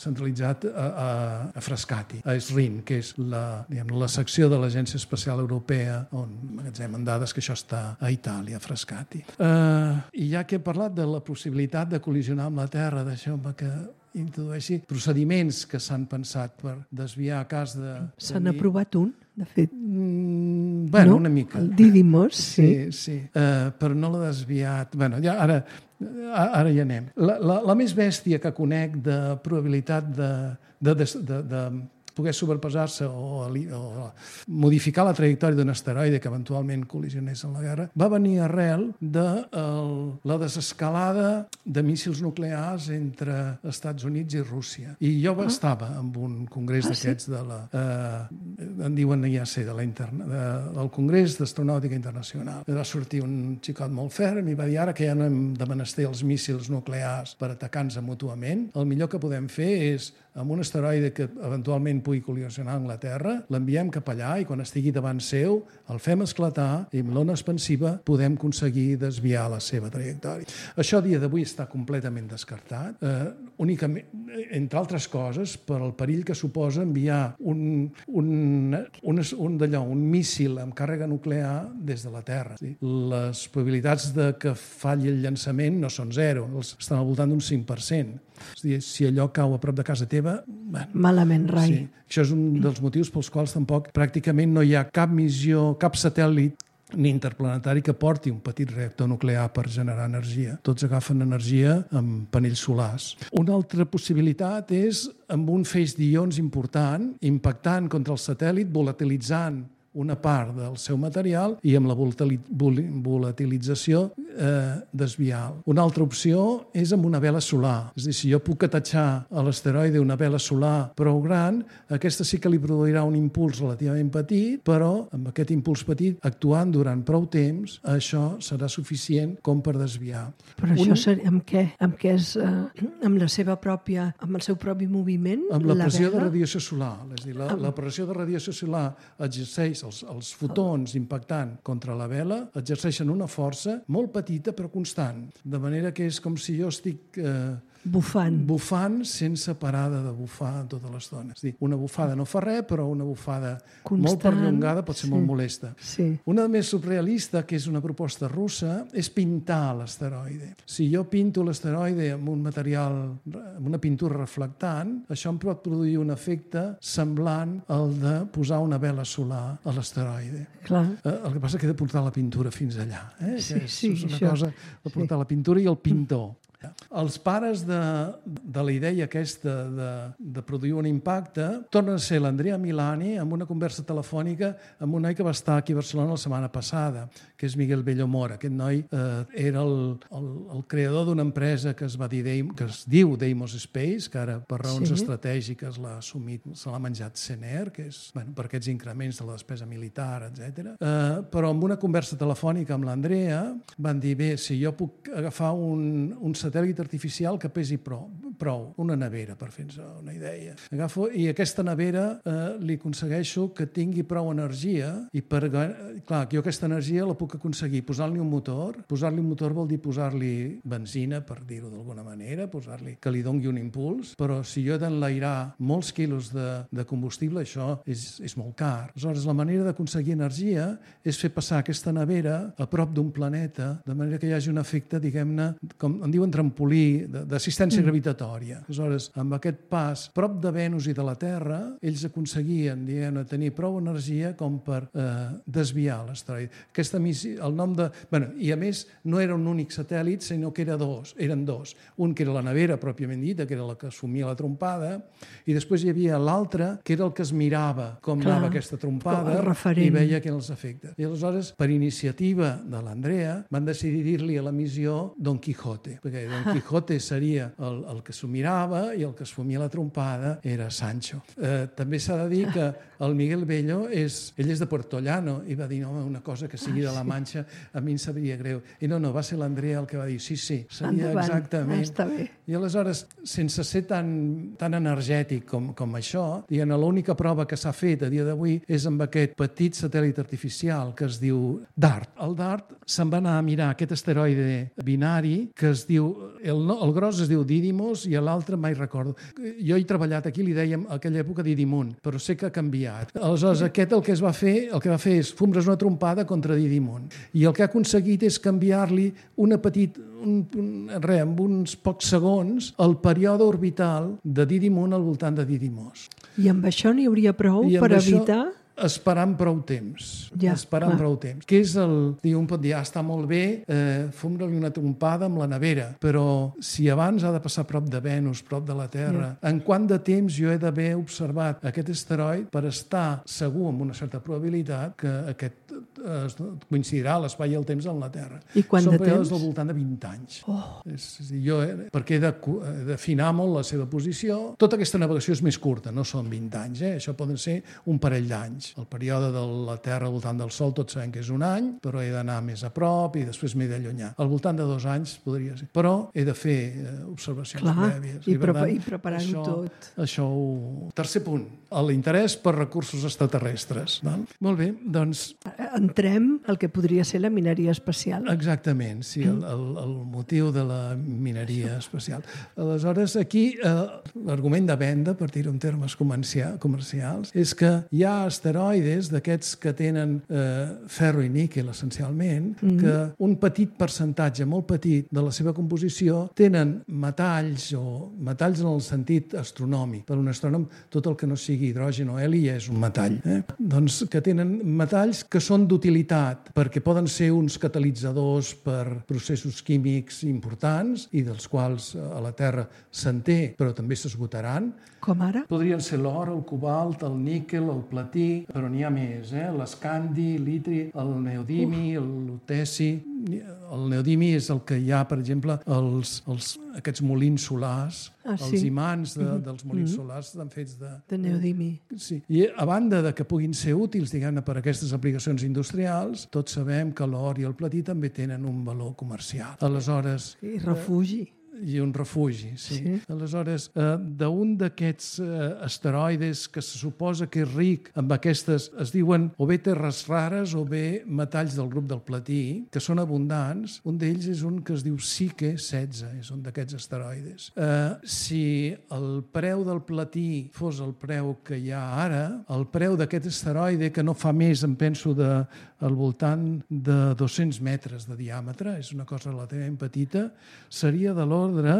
B: centralitzat a, a, a Frascati, a SRIN, que és la, diguem, la secció de l'Agència Espacial Europea on magatzemen dades, que això està a Itàlia, a Frascati. Uh, I ja que he parlat de la possibilitat de col·lisionar amb la Terra, deixeu-me que introdueixi procediments que s'han pensat per desviar a cas de...
A: S'han aprovat un, de fet.
B: Mm, bueno,
A: no?
B: una mica.
A: El Didymos, sí.
B: Sí, sí. Uh, però no l'ha desviat... Bueno, ja ara... Ara hi anem. La, la, la més bèstia que conec de probabilitat de, de, de, de, de poder sobrepassar-se o, o modificar la trajectòria d'un asteroide que eventualment col·lisionés en la guerra, va venir arrel de el, la desescalada de míssils nuclears entre Estats Units i Rússia. I jo ah. estava en un congrés ah, d'aquests sí? de la... Eh, en diuen I A C, de la interna, de, del Congrés d'Astronàutica Internacional. Va sortir un xicot molt ferm i va dir ara que ja no hem de menester els míssils nuclears per atacar-nos mútuament, el millor que podem fer és amb un asteroide que eventualment pugui col·lisionar amb la Terra, l'enviem cap allà i quan estigui davant seu el fem esclatar i amb l'ona expansiva podem aconseguir desviar la seva trajectòria. Això a dia d'avui està completament descartat, eh, únicament, entre altres coses, per al perill que suposa enviar un, un, un, un, d'allò, un míssil amb càrrega nuclear des de la Terra. Sí? Les probabilitats de que falli el llançament no són zero, estan al voltant d'un cinc per cent. És a dir, si allò cau a prop de casa teva... Bueno,
A: malament, rai.
B: Sí. Això és un dels motius pels quals tampoc pràcticament no hi ha cap missió, cap satèl·lit ni interplanetari que porti un petit reactor nuclear per generar energia. Tots agafen energia amb panells solars. Una altra possibilitat és amb un feix d'ions important, impactant contra el satèl·lit, volatilitzant una part del seu material i amb la volatilització eh, desviar. Una altra opció és amb una vela solar. És a dir, si jo puc atatxar a l'asteroide una vela solar prou gran, aquesta sí que li produirà un impuls relativament petit, però amb aquest impuls petit, actuant durant prou temps, això serà suficient com per desviar.
A: Però un... això seria, amb què? Amb què és? Eh, amb la seva pròpia, amb el seu propi moviment?
B: Amb la, la pressió
A: vela?
B: de radiació solar. És a dir, la, amb... la pressió de radiació solar exerceix és els, els fotons impactant contra la vela exerceixen una força molt petita però constant, de manera que és com si jo estic eh,
A: bufant.
B: bufant sense parada de bufar tota l'estona. És a dir, una bufada no fa res, però una bufada constant, molt perllongada pot ser sí. molt molesta.
A: Sí.
B: Una més surrealista, que és una proposta russa, és pintar l'asteroide. Si jo pinto l'asteroide amb un material, amb una pintura reflectant, això em pot produir un efecte semblant al de posar una vela solar a l'asteroide.
A: Clar.
B: Eh, el que passa és que he de portar la pintura fins allà. Eh?
A: Sí,
B: que és,
A: sí,
B: és una
A: això.
B: cosa de portar sí. la pintura i el pintor. Els pares de, de la idea aquesta de, de produir un impacte tornen a ser l'Andrea Milani amb una conversa telefònica amb un noi que va estar aquí a Barcelona la setmana passada, que és Miguel Bello Mora. Aquest noi eh, era el, el, el creador d'una empresa que es, va dir, que es diu Deimos Space, que ara per raons sí. estratègiques l'ha assumit, se l'ha menjat Sener, que és bueno, per aquests increments de la despesa militar, etcètera. Eh, però amb una conversa telefònica amb l'Andrea van dir, bé, si jo puc agafar un, un satèl·lit artificial que pesi prou, prou, una nevera, per fer-nos una idea. Agafo, i aquesta nevera eh, li aconsegueixo que tingui prou energia i per... Clar, jo aquesta energia la puc aconseguir posant-li un motor. Posar-li un motor vol dir posar-li benzina, per dir-ho d'alguna manera, posar-li que li dongui un impuls, però si jo he d'enlairar molts quilos de, de combustible, això és, és molt car. Aleshores, la manera d'aconseguir energia és fer passar aquesta nevera a prop d'un planeta, de manera que hi hagi un efecte, diguem-ne, com en diuen trampolí, d'assistència mm. gravitatòria. Aleshores, amb aquest pas prop de Venus i de la Terra, ells aconseguien, diguem, tenir prou energia com per eh, desviar l'asteroide. Aquesta missió, el nom de... Bueno, i a més, no era un únic satèl·lit, sinó que era dos, eren dos. Un que era la nevera, pròpiament dita, que era la que assumia la trompada, i després hi havia l'altre, que era el que es mirava com Clar, anava aquesta trompada i veia que eren els efectes. I aleshores, per iniciativa de l'Andrea, van decidir dir-li a la missió Don Quijote, perquè Don Quijote Quijote seria el, el que s'ho mirava i el que es fumia la trompada era Sancho. Eh, també s'ha de dir que el Miguel Bello és, ell és de Puerto Llano i va dir, no, una cosa que sigui de la Manxa a mi em sabria greu. I no, no, va ser l'Andrea el que va dir, sí, sí, seria Endavant. Exactament. Està bé. I aleshores, sense ser tan, tan energètic com, com això, diguem, l'única prova que s'ha fet a dia d'avui és amb aquest petit satèl·lit artificial que es diu DART. El DART se'n va anar a mirar aquest asteroide binari que es diu... El, no, el gros es diu Didymos i l'altre mai recordo. Jo he treballat aquí, li dèiem a aquella època Didymon, però sé que ha canviat. Aleshores, aquest el que es va fer, el que va fer és fumre's una trompada contra Didymon. I el que ha aconseguit és canviar-li una petit, un, un, res, amb uns pocs segons, el període orbital de Didymon al voltant de Didymos.
A: I amb això n'hi hauria prou per això... evitar...
B: Esperant prou temps. Ja, esperant clar. prou temps. Que és el... Un pot dir, ah, està molt bé, eh, fumre-li una trompada amb la nevera, però si abans ha de passar prop de Venus, prop de la Terra, ja. En quant de temps jo he d'haver observat aquest asteroide per estar segur amb una certa probabilitat que aquest eh, coincidirà l'espai i el temps amb la Terra.
A: I quant
B: Són
A: de
B: períodes
A: temps?
B: Del voltant de vint anys.
A: Oh.
B: És, és dir, jo, eh, perquè he d'afinar molt la seva posició. Tota aquesta navegació és més curta, no són vint anys, eh? Això poden ser un parell d'anys. El període de la Terra al voltant del Sol tots sabem que és un any, però he d'anar més a prop i després m'he d'allunyar. Al voltant de dos anys podria ser. Però he de fer eh, observacions Clar, prèvies.
A: I, I, prepa i preparar-ho tot.
B: Això ho... Tercer punt, l'interès per recursos extraterrestres. Val? Molt bé, doncs...
A: Entrem al que podria ser la mineria espacial.
B: Exactament, sí, el, el, el motiu de la mineria espacial. Aleshores, aquí eh, l'argument de venda, per dir-ho en termes comercials, és que hi ha asteroides d'aquests que tenen eh, ferro i níquel, essencialment, mm. que un petit percentatge, molt petit, de la seva composició tenen metalls, o metalls en el sentit astronòmic. Per un astrònom, tot el que no sigui hidrogen o heli ja és un metall. Eh? Doncs que tenen metalls que són d'utilitat, perquè poden ser uns catalitzadors per processos químics importants i dels quals a la Terra se'n té, però també s'esgotaran.
A: Com ara?
B: Podrien ser l'or, el cobalt, el níquel, el platí, però n'hi ha més, eh? L'escandi, l'itri, el neodimi, el luteci... El neodimi és el que hi ha, per exemple, els, els, aquests molins solars, ah, sí? Els imants de, mm-hmm. dels molins mm-hmm. solars estan fets de...
A: De neodimi.
B: Sí. I a banda de que puguin ser útils, diguem-ne, per a aquestes aplicacions industrials, tots sabem que l'or i el platí també tenen un valor comercial. Aleshores...
A: I refugi.
B: i un refugi, sí.
A: Sí.
B: Aleshores, eh, d'un d'aquests eh, asteroides que se suposa que és ric amb aquestes, es diuen o bé terres rares o bé metalls del grup del platí, que són abundants, un d'ells és un que es diu Psyche setze, és un d'aquests asteroides. Eh, si el preu del platí fos el preu que hi ha ara, el preu d'aquest asteroide, que no fa més, em penso, de, al voltant de dos-cents metres de diàmetre, és una cosa relativament petita, seria de l'ordre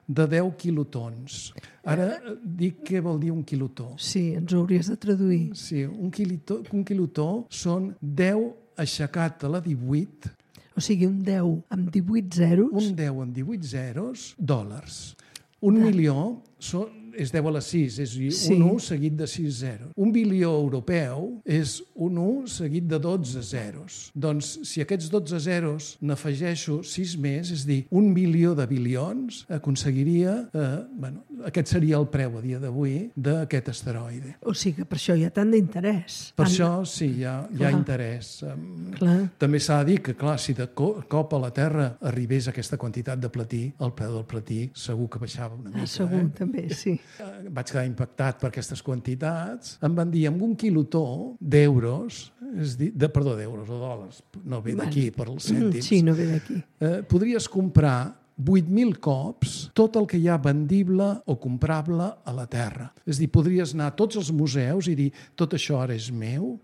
B: de deu quilotons. Ara dic què vol dir un quilotó.
A: Sí, ens ho hauries de traduir.
B: Sí, un quilotó, un quilotó són deu aixecat a la divuit.
A: O sigui, un deu amb divuit zeros.
B: Un deu amb divuit zeros, dòlars. Un
A: Ah.
B: milió són, és deu a la sis, és
A: Sí.
B: un u seguit de sis zeros. Un bilió europeu és un u seguit de dotze zeros. Doncs, si aquests dotze zeros n'afegeixo sis més, és a dir, un bilió de bilions, aconseguiria... Eh, bueno, aquest seria el preu a dia d'avui d'aquest asteroide.
A: O sigui que per això hi ha tant d'interès.
B: Per
A: Tant-
B: això, sí, hi ha, hi ha
A: Clar.
B: interès. Em,
A: Clar.
B: També s'ha de dir que, clar, si de co- cop a la Terra arribés aquesta quantitat de platí, el preu del platí segur que baixava una mica.
A: Ah, segur,
B: eh?
A: també, sí.
B: Eh, Vaig quedar impactat per aquestes quantitats. Em van dir, amb un quilotó d'euros, és dir, de, perdó, d'euros o dòlars, no ve d'aquí, per als cèntims,
A: Sí, no ve d'aquí.
B: eh, podries comprar vuit mil cops tot el que hi ha vendible o comprable a la Terra. És dir, podries anar a tots els museus i dir, tot això ara és meu,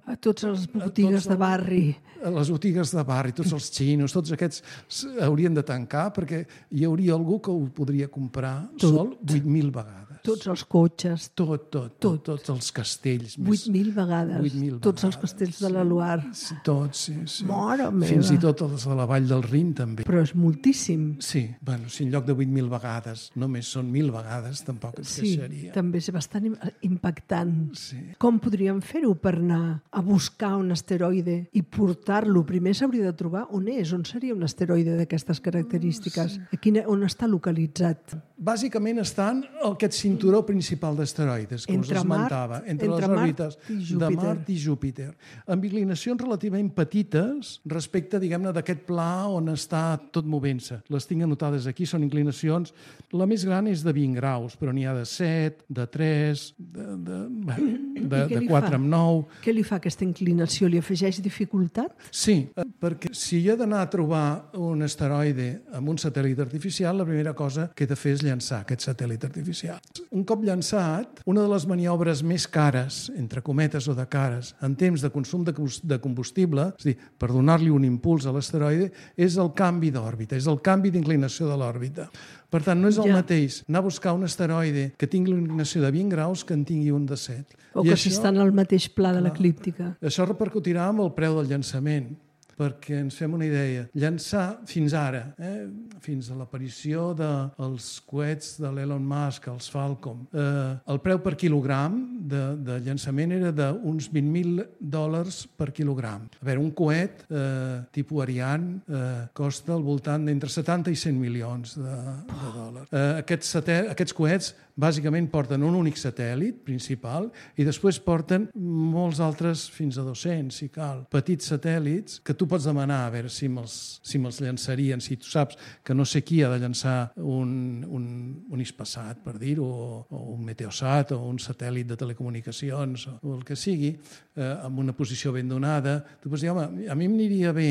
A: A totes les botigues
B: tots
A: de barri.
B: a les botigues de barri, tots els xinos, tots aquests s- haurien de tancar perquè hi hauria algú que ho podria comprar
A: Tot.
B: sol vuit mil vegades.
A: Tots els cotxes.
B: Tot, tot, tot, tots els castells. més-
A: vuit mil vegades.
B: vuit mil
A: Tots els
B: vegades,
A: castells de la Loire.
B: Sí, tots, sí, sí.
A: Mare meva.
B: Fins i tot els de la Vall del Rin, també.
A: Però és moltíssim.
B: Sí, bueno, si en lloc de vuit mil vegades només són mil vegades, tampoc ens
A: Sí,
B: queixaria.
A: també és bastant im- impactant.
B: Sí.
A: Com podríem fer-ho per anar a buscar un asteroide i portar-lo? Primer s'hauria de trobar on és, on seria un asteroide d'aquestes característiques, a quina, on està localitzat.
B: Bàsicament estan en aquest cinturó principal d'asteroides que
A: Entre
B: us
A: Mart-
B: esmentava, entre,
A: entre
B: les
A: Mart
B: òrbites
A: i
B: de
A: Júpiter.
B: Mart i Júpiter, amb inclinacions relativament petites respecte, diguem-ne, d'aquest pla on està tot movent-se. Les tinc anotades aquí, són inclinacions... La més gran és de vint graus, però n'hi ha de set, de tres, de, de, bé, de,
A: I què
B: de
A: li
B: quatre
A: fa?
B: amb nou...
A: Què li fa aquesta inclinació? Li afegeix dificultat?
B: Sí, eh, perquè si he d'anar a trobar un asteroide amb un satèl·lit artificial, la primera cosa que he de fer és llançar aquest satèl·lit artificial. Un cop llançat, una de les maniobres més cares, entre cometes o de cares, en temps de consum de cos- de combustible, és a dir, per donar-li un impuls a l'asteroide, és el canvi d'òrbita, és el canvi d'inclinació de l'òrbita. Per tant, no és el
A: Ja.
B: mateix anar a buscar un asteroide que tingui una inclinació de vint graus que en tingui un de set.
A: O
B: I
A: que
B: això-
A: s'estan al mateix pla de l'eclíptica?
B: això repercutirà amb el preu del llançament, perquè ens fem una idea. Llançar fins ara, eh, fins a l'aparició dels coets de l'Elon Musk, els Falcon, eh, el preu per quilogram de, de llançament era d'uns vint mil dòlars per quilogram. A veure, un coet eh, tipus Ariane eh, costa al voltant d'entre setanta i cent milions de, de dòlars. Eh, aquests, satè- aquests coets bàsicament porten un únic satèl·lit principal i després porten molts altres, fins a dos-cents, si cal, petits satèl·lits que tu pots demanar a veure si me'ls si me'ls llançarien, si tu saps que no sé qui ha de llançar un, un, un Hispasat, per dir-ho, o, o un Meteosat, o un satèl·lit de telecomunicacions, o, o el que sigui, eh, amb una posició ben donada. Tu pots dir, home, a mi m'aniria bé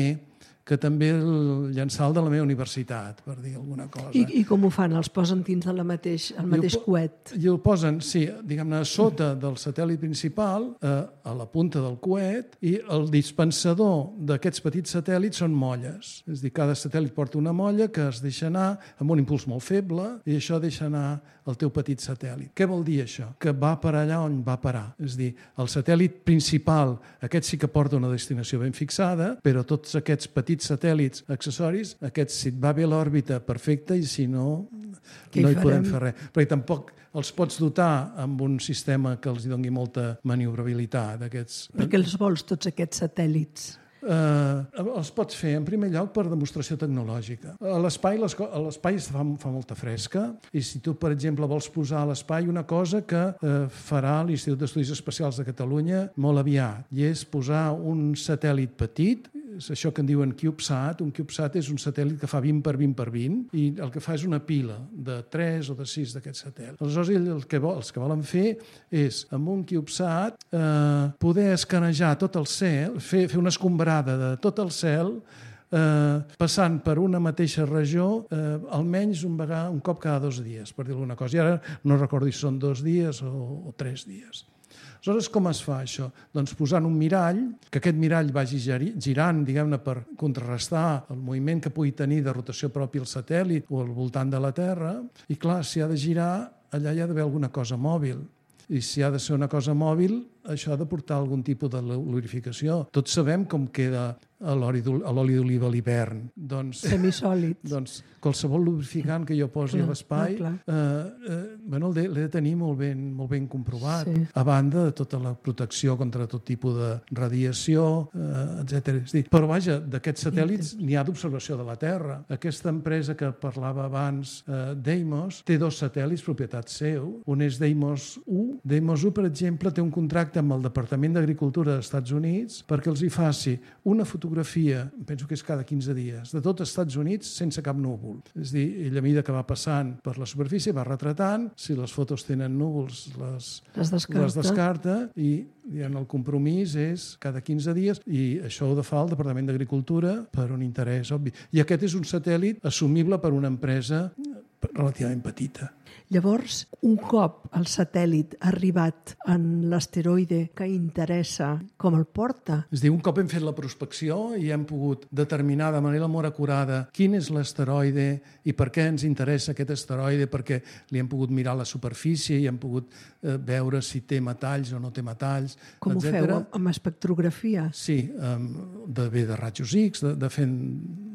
B: que també el llançar el de la meva universitat, per dir alguna cosa.
A: I, I com ho fan? Els posen dins del mateix, el mateix
B: I el po-
A: coet?
B: I el posen, sí, diguem-ne, a sota del satèl·lit principal, eh, a la punta del coet, i el dispensador d'aquests petits satèl·lits són molles. És a dir, cada satèl·lit porta una molla que es deixa anar amb un impuls molt feble i això deixa anar el teu petit satèl·lit. Què vol dir això? Que va per allà on va parar. És a dir, el satèl·lit principal, aquest sí que porta una destinació ben fixada, però tots aquests petits satèl·lits accessoris, aquests, si et va bé l'òrbita, perfecte, i si no,
A: Què hi
B: no hi podem
A: farem?
B: fer res. Perquè tampoc els pots dotar amb un sistema que els hi doni molta maniobrabilitat. Aquests,
A: Per què els vols, tots aquests satèl·lits?
B: eh, els pots fer, en primer lloc, per demostració tecnològica. A l'espai les co- a l'espai fa, fa molta fresca i si tu, per exemple, vols posar a l'espai una cosa que eh, farà l'Institut d'Estudis Espacials de Catalunya molt aviat, i és posar un satèl·lit petit és això que en diuen CubeSat. Un CubeSat és un satèl·lit que fa vint per vint per vint i el que fa és una pila de tres o de sis d'aquests satèl·lits. Aleshores, el que vol, els que volen fer és, amb un CubeSat, eh, poder escanejar tot el cel, fer, fer una escombrada de tot el cel, eh, passant per una mateixa regió eh, almenys un, vegada, un cop cada dos dies, per dir alguna cosa. I ara no recordo si són dos dies o, o tres dies. Aleshores, com es fa això? Doncs posant un mirall, que aquest mirall vagi girant, diguem-ne, per contrarrestar el moviment que pugui tenir de rotació propi al satèl·lit o al voltant de la Terra, i clar, si ha de girar, allà hi ha d'haver alguna cosa mòbil. I si ha de ser una cosa mòbil, això ha de portar algun tipus de lubrificació. Tots sabem com queda l'oli d'oliva a l'hivern. Doncs,
A: semisòlid.
B: Doncs qualsevol lubrificant que jo posi clar, a l'espai eh, eh, bueno, l'he de tenir molt ben, molt ben comprovat, sí. A banda de tota la protecció contra tot tipus de radiació, eh, etcètera. És dir, però vaja, d'aquests satèl·lits n'hi ha d'observació de la Terra. Aquesta empresa que parlava abans, eh, Deimos, té dos satèl·lits propietat seu. Un és Deimos u. Deimos u, per exemple, té un contracte amb el Departament d'Agricultura dels Estats Units perquè els hi faci una fotografia, penso que és cada quinze dies, de tot els Estats Units sense cap núvol. És a dir, ell a mesura que va passant per la superfície va retratant, si les fotos tenen núvols les,
A: les, descarta.
B: les descarta i diguem, el compromís és cada quinze dies i això ho fa el Departament d'Agricultura per un interès obvi. I aquest és un satèl·lit assumible per una empresa relativament petita.
A: Llavors, un cop el satèl·lit ha arribat en l'asteroide que interessa, com el porta?
B: És a dir, un cop hem fet la prospecció i hem pogut determinar de manera molt acurada quin és l'asteroide i per què ens interessa aquest asteroide, perquè li hem pogut mirar la superfície i hem pogut eh, veure si té metalls o no té metalls,
A: com
B: etcètera.
A: Ho feu? Amb espectrografia?
B: Sí, de, bé de rajos X, de, de fent,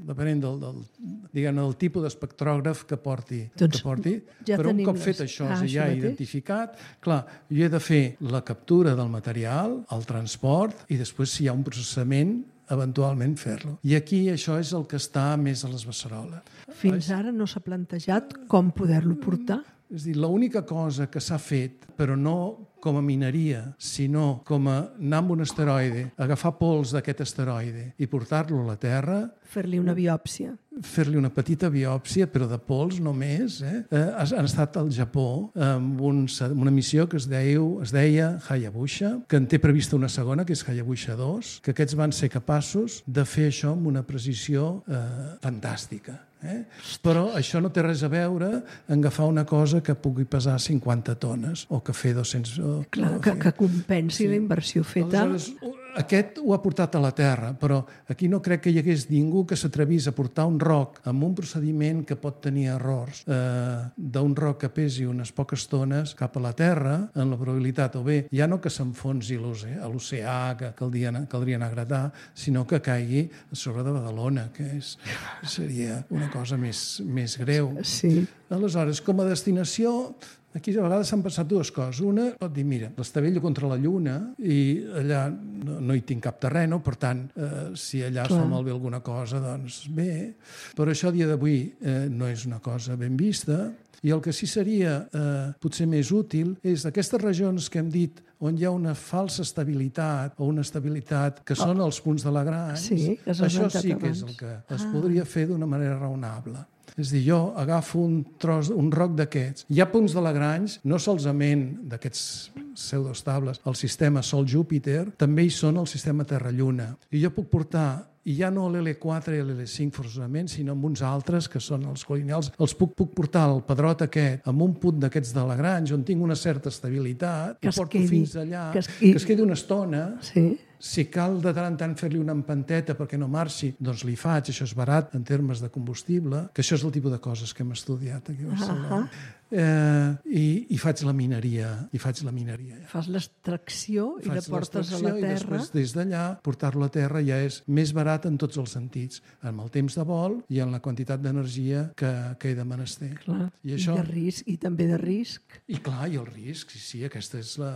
B: depenent del, del, diguem, del tipus d'espectrògraf que porti.
A: Doncs
B: que porti.
A: Ja
B: Però un cop
A: les...
B: fet això,
A: ah,
B: ja
A: això
B: identificat, clar, jo he de fer la captura del material, el transport i després, si hi ha un processament, eventualment fer-lo. I aquí això és el que està més a les beceroles.
A: Fins ara no s'ha plantejat com poder-lo portar?
B: És a dir, l'única cosa que s'ha fet, però no com a mineria, sinó com a anar amb un asteroide, agafar pols d'aquest asteroide i portar-lo a la Terra...
A: Fer-li una biòpsia.
B: Fer-li una petita biòpsia, però de pols només. Eh? Eh, han estat al Japó amb un, una missió que es, deiu, es deia Hayabusa, que en té prevista una segona, que és Hayabusa dos, que aquests van ser capaços de fer això amb una precisió eh, fantàstica. Eh? Però això no té res a veure en agafar una cosa que pugui pesar cinquanta tones o que fer dos-cents... O,
A: Clar,
B: o
A: que, que compensi sí. la inversió feta.
B: Aleshores, aquest ho ha portat a la Terra, però aquí no crec que hi hagués ningú que s'atrevís a portar un roc amb un procediment que pot tenir errors eh, d'un roc que pesi unes poques tones cap a la Terra, en la probabilitat, o bé, ja no que s'enfonsi a l'oceà, que caldria, caldria anar a gratar, sinó que caigui a sobre de Badalona, que és, seria una cosa més, més greu.
A: Sí.
B: Aleshores, com a destinació, aquí a vegades s'han passat dues coses. Una, pot dir, mira, l'estavello contra la Lluna i allà no, no hi tinc cap terreno, per tant, eh, si allà es fa malbé alguna cosa, doncs bé. Però això a dia d'avui eh, no és una cosa ben vista. I el que sí seria eh, potser més útil és aquestes regions que hem dit on hi ha una falsa estabilitat o una estabilitat que són els punts de Lagrange,
A: sí,
B: això sí que és el que es ah. podria fer d'una manera raonable. És a dir, jo agafo un tros, un roc d'aquests. Hi ha punts de Lagrange, no solament d'aquests pseudoestables, el sistema Sol-Júpiter, també hi són el sistema Terra-Lluna. I jo puc portar, i ja no l'L quatre i l'L cinc forçosament, sinó amb uns altres, que són els colineals, els puc, puc portar al pedrot aquest amb un punt d'aquests de Lagrange, on tinc una certa estabilitat, que i porto quedi, fins allà, que es, i... que es quedi una estona... Sí. Si cal de tant en tant fer-li una empanteta perquè no marxi, doncs li faig, això és barat en termes de combustible, que això és el tipus de coses que hem estudiat aquí a Barcelona. Uh-huh. Eh, i, i faig la mineria. I faig la mineria. Ja.
A: Fas l'extracció i la portes a la Terra.
B: I després des d'allà portar-lo a la Terra ja és més barat en tots els sentits, en el temps de vol i en la quantitat d'energia que, que he de menester.
A: Clar. I, això... I de risc, i també de risc.
B: I clar, i el risc, sí, sí, aquesta és la,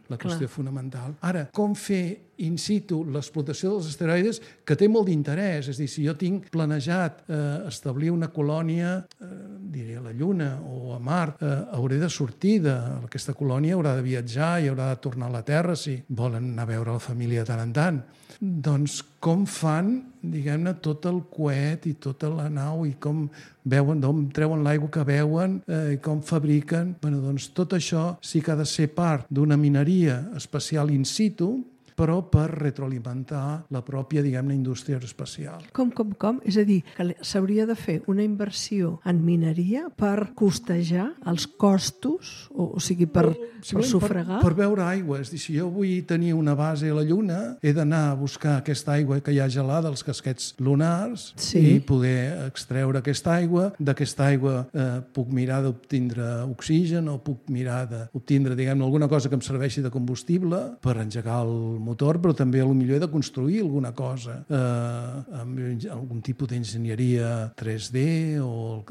B: la qüestió fonamental. Ara, com fer in situ l'explotació dels asteroides, que té molt d'interès. És a dir, si jo tinc planejat eh, establir una colònia, eh, diré a la Lluna o a Mart, eh, hauré de sortir d'aquesta colònia, haurà de viatjar i haurà de tornar a la Terra si volen anar a veure la família de tant en tant. Doncs com fan, diguem-ne, tot el coet i tota la nau i com veuen, d'on treuen l'aigua que veuen eh, i com fabriquen. Bueno, doncs tot això sí que ha de ser part d'una mineria espacial in situ, però per retroalimentar la pròpia, diguem-ne, indústria aeroespacial.
A: Com, com, com? És a dir, que s'hauria de fer una inversió en mineria per costejar els costos, o, o sigui, per,
B: sí,
A: per sufragar?
B: Per, per veure aigua. És dir, si jo vull tenir una base a la Lluna, he d'anar a buscar aquesta aigua que hi ha gelada, els casquets lunars,
A: sí.
B: i poder extreure aquesta aigua. D'aquesta aigua eh, puc mirar d'obtindre oxigen o puc mirar d'obtindre, diguem-ne, alguna cosa que em serveixi de combustible per engegar el motor, però també potser he de construir alguna cosa eh, amb algun tipus d'enginyeria tres D o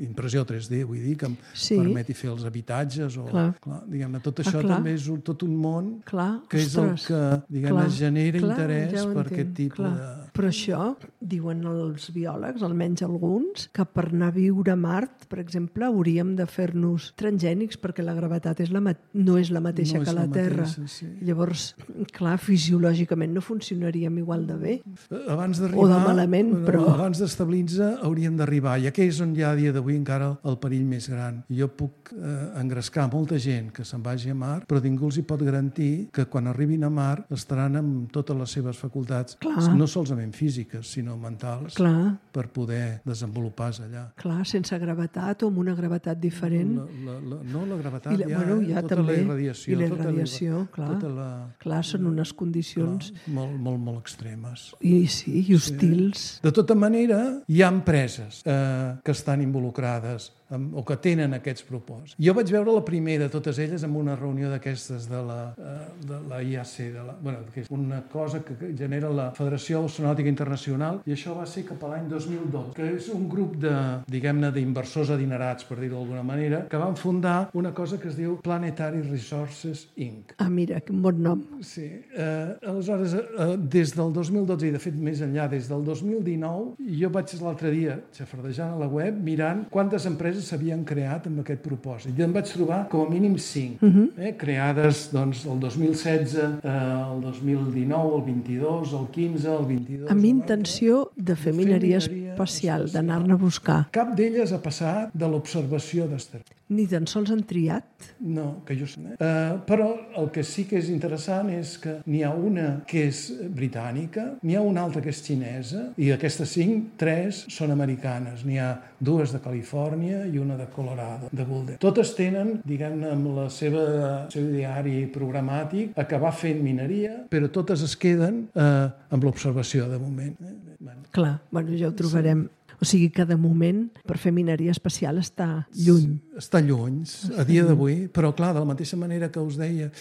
B: impressió tres D, vull dir, que em sí. permeti fer els habitatges o, clar. Clar, diguem-ne, tot això ah, també és un, tot un món clar. Que és Ostres. El que, diguem-ne, genera clar, interès ja per aquest tipus clar. De...
A: Però això, diuen els biòlegs, almenys alguns, que per anar a viure a Mart, per exemple, hauríem de fer-nos transgènics perquè la gravetat és la ma... no és la mateixa no que la, la Terra. Mateixa, sí. Llavors, clar, fisiològicament no funcionaríem igual de bé.
B: Abans
A: o de malament,
B: bueno,
A: però...
B: Abans d'estabilitzar hauríem d'arribar. I aquí és on hi ha a dia d'avui encara el perill més gran. Jo puc eh, engrescar molta gent que se'n vagi a Mart, però ningú els hi pot garantir que quan arribin a Mart estaran amb totes les seves facultats, clar. No solament físiques, sinó mentals, clar. Per poder desenvolupar-se allà.
A: Clar, sense gravetat o amb una gravetat diferent.
B: La, la, la, no, la gravetat
A: la,
B: ja,
A: bueno, ja
B: tota
A: també.
B: La irradiació.
A: I la irradiació,
B: tota
A: clar.
B: Tota la,
A: clar, són unes condicions...
B: Clar, molt, molt, molt extremes.
A: I sí, i hostils.
B: Sí. De tota manera, hi ha empreses eh, que estan involucrades amb, o que tenen aquests propòsits. Jo vaig veure la primera de totes elles en una reunió d'aquestes de la, de la I A C, de la, bueno, que és una cosa que genera la Federació Astronàutica Internacional, i això va ser cap a l'any dos mil dotze, que és un grup de, diguem-ne, d'inversors adinerats, per dir-ho d'alguna manera, que van fundar una cosa que es diu Planetary Resources incorporated.
A: Ah, mira, quin bon nom.
B: Sí. Eh, aleshores, eh, des del dos mil dotze, i de fet més enllà, des del dos mil dinou, jo vaig l'altre dia xafardejant a la web mirant quantes empreses s'havien creat amb aquest propòsit. I em vaig trobar com a mínim cinc, uh-huh. eh, creades doncs, el dos mil setze, eh, el dos mil dinou, el vint-i-dos, el quinze, el vint-i-dos...
A: Amb intenció de fer mineria espacial, d'anar-ne a buscar.
B: Cap d'elles ha passat de l'observació d'asteroides.
A: Ni tan sols han triat?
B: No, que jo sé. Uh, però el que sí que és interessant és que n'hi ha una que és britànica, n'hi ha una altra que és xinesa, i d'aquestes cinc, tres són americanes. N'hi ha dues de Califòrnia i una de Colorado, de Boulder. Totes tenen, diguem-ne, amb la seva, el seu diari programàtic, acabar fent mineria, però totes es queden uh, amb l'observació de moment. Eh? Bueno.
A: Clar, bueno, ja ho trobarem. Sí. O sigui que de moment per fer mineria espacial està lluny.
B: Està lluny, a dia d'avui, però clar, de la mateixa manera que us deia,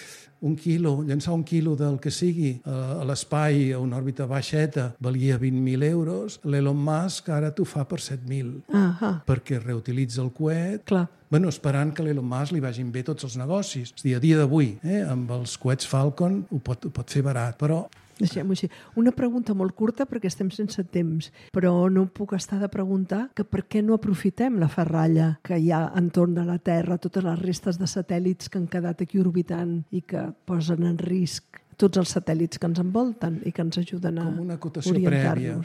B: un quilo, llançar un quilo del que sigui a l'espai a una òrbita baixeta valia vint mil euros, l'Elon Musk ara t'ho fa per set mil,
A: ah
B: perquè reutilitza el coet.
A: Clar.
B: Bueno, esperant que l'Elon Musk li vagin bé tots els negocis. És a dir, a dia d'avui, eh, amb els coets Falcon ho pot, ho pot fer barat, però...
A: Deixem-ho així. Una pregunta molt curta perquè estem sense temps, però no puc estar de preguntar que per què no aprofitem la ferralla que hi ha entorn de la Terra, totes les restes de satèl·lits que han quedat aquí orbitant i que posen en risc tots els satèl·lits que ens envolten i que ens ajuden a
B: com una acotació prèvia.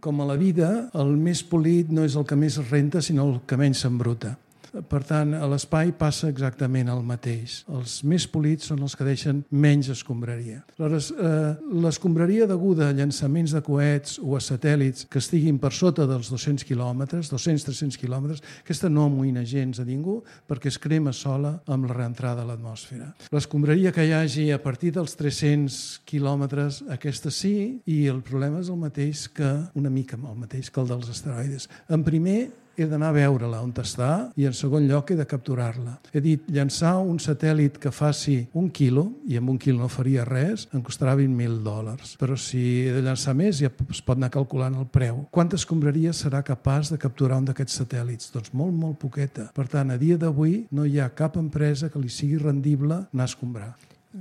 B: Com a la vida, el més polit no és el que més renta, sinó el que menys s'embruta. Per tant, a l'espai passa exactament el mateix. Els més polits són els que deixen menys escombraria. Aleshores, eh, l'escombraria deguda a llançaments de coets o a satèl·lits que estiguin per sota dels dos-cents quilòmetres, dos-cents a tres-cents quilòmetres, aquesta no amoïna gens a ningú perquè es crema sola amb la reentrada a l'atmosfera. L'escombraria que hi hagi a partir dels tres-cents quilòmetres, aquesta sí, i el problema és el mateix que, una mica el mateix que el dels asteroides. En primer, he d'anar a veure-la on està i en segon lloc he de capturar-la. He dit, llançar un satèl·lit que faci un quilo, i amb un quilo no faria res, em costarà vint mil dòlars. Però si he de llançar més ja es pot anar calculant el preu. Quanta escombraria serà capaç de capturar un d'aquests satèl·lits? Doncs molt, molt poqueta. Per tant, a dia d'avui no hi ha cap empresa que li sigui rendible anar a escombrar.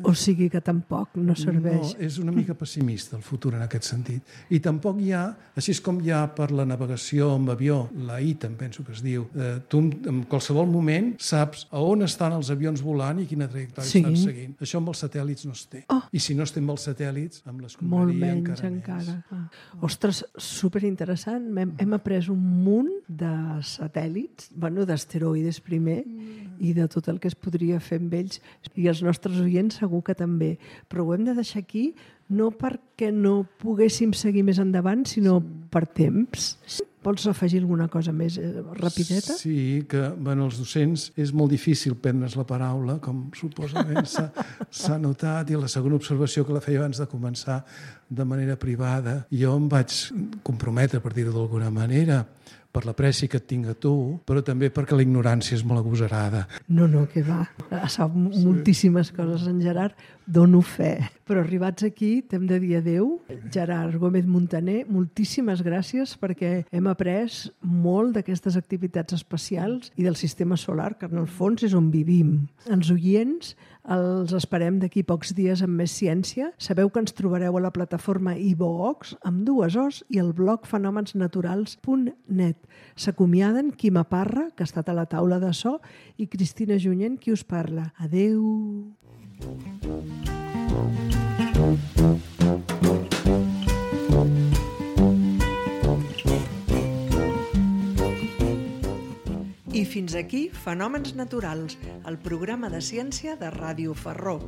A: O sigui que tampoc no serveix.
B: No, és una mica pessimista el futur en aquest sentit. I tampoc hi ha, així com hi ha per la navegació amb avió, la I T A M penso que es diu, eh, tu en qualsevol moment saps a on estan els avions volant i quina trajectòria sí. estan seguint. Això amb els satèl·lits no es té. Oh. I si no es té amb els satèl·lits, amb l'escombraria encara, encara més.
A: Ah. Ostres, superinteressant. Hem, hem après un munt de satèl·lits, bueno, d'asteroides primer, mm. i de tot el que es podria fer amb ells. I els nostres oients segur que també. Però ho hem de deixar aquí no perquè no poguéssim seguir més endavant, sinó sí. per temps. Vols afegir alguna cosa més eh, rapideta?
B: Sí, que bueno, els docents és molt difícil prendre's la paraula, com suposament s'ha notat, i la segona observació que la feia abans de començar de manera privada. Jo em vaig comprometre, per dir-ho d'alguna manera, per l'apreci que et tinc a tu, però també perquè la ignorància és molt agosarada.
A: No, no, que va. Sap sí. moltíssimes coses en Gerard, dono fe. Però arribats aquí, t'hem de dir adeu. Gerard Gómez Montaner, moltíssimes gràcies perquè hem après molt d'aquestes activitats espacials i del sistema solar, que en el fons és on vivim. Els oients els esperem d'aquí pocs dies amb més ciència. Sabeu que ens trobareu a la plataforma iVoox amb dues O's i el blog fenòmens naturals punt net. S'acomiaden Quima Parra, que ha estat a la taula de so, i Cristina Junyent, qui us parla. Adeu! I fins aquí Fenòmens Naturals, el programa de ciència de Ràdio Ferró.